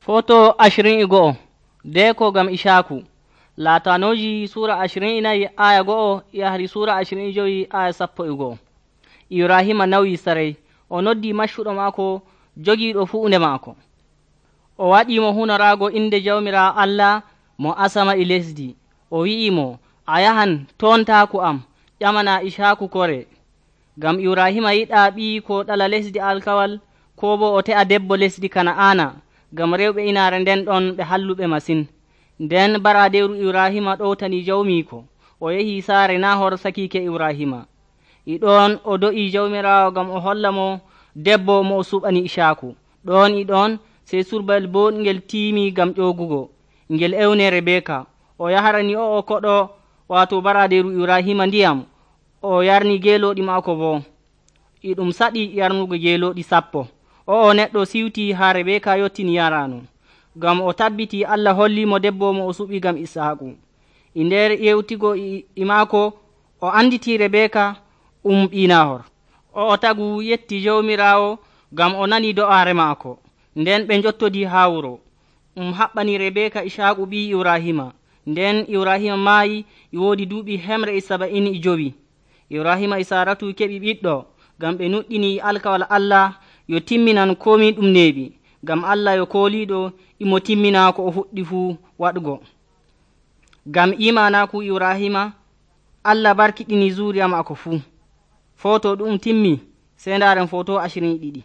Foto 21 deko gam Ishaku Latanoji sura 24 aya 1 yahri sura 25 aya 11. Ibrahima nawi saray o noddi maccuɗo maako jogiiɗo fuunde maako, o waɗimo hunorago inde jawmira Allah mo asama e lesdi. O wi'imo, a yahan tontaku am ƴamana Ishaku kore. Gam Ibrahima yiɗa ɓii ko ɗala lesdi alkawal, ko bo o te'a debbo lesdi Kana'ana, gam rewɓe inaare nden ɗon ɓe halluɓe masin. Nden baradeeru Ibrahima ɗowtani jawmiiko, o yehi saare Nahor sakiike Ibrahima. E ɗon o do'i jawmiraawo gam o holla mo debbo mo o suɓani Ishaku. Ɗon e ɗon sey surbayel boɗngel tiimi gam ƴoogugo, ngel ewne Rebeka. O yahrani o'o koɗo waato baradeeru Ibrahima ndiyam, o yarni geelooɗi maako boo. E ɗum saɗi yarnugo geelooɗi 10. O'o neɗɗo siwtii haa Rebeka yottini yarano, gam o tabbiti Allah hollimo debbo mo o suɓi gam Ishaku. E nder yewtigo e maako o anditi Rebeka ɓii Nahor. O'o tagu yetti jawmiraawo gam o nani do'aare maako. Nden ɓe njottodii haa wuro. Haɓɓani Rebeka Ishaku ɓii Ibrahima. Nden Ibrahima maayi e woodi duuɓi 175. Ibrahima e Saratu keɓi ɓiɗɗo, gam ɓe nuɗɗini alkawal Allah yo timminan komi ɗum neeɓi, gam Allah yo kooliɗo imo timmina ko o fuɗɗi fuu waɗugo. Gam imanaku Ibrahima, Allah barkiɗini zuriya maako fuu. Foto ɗum timmi, sey ndaren foto 22.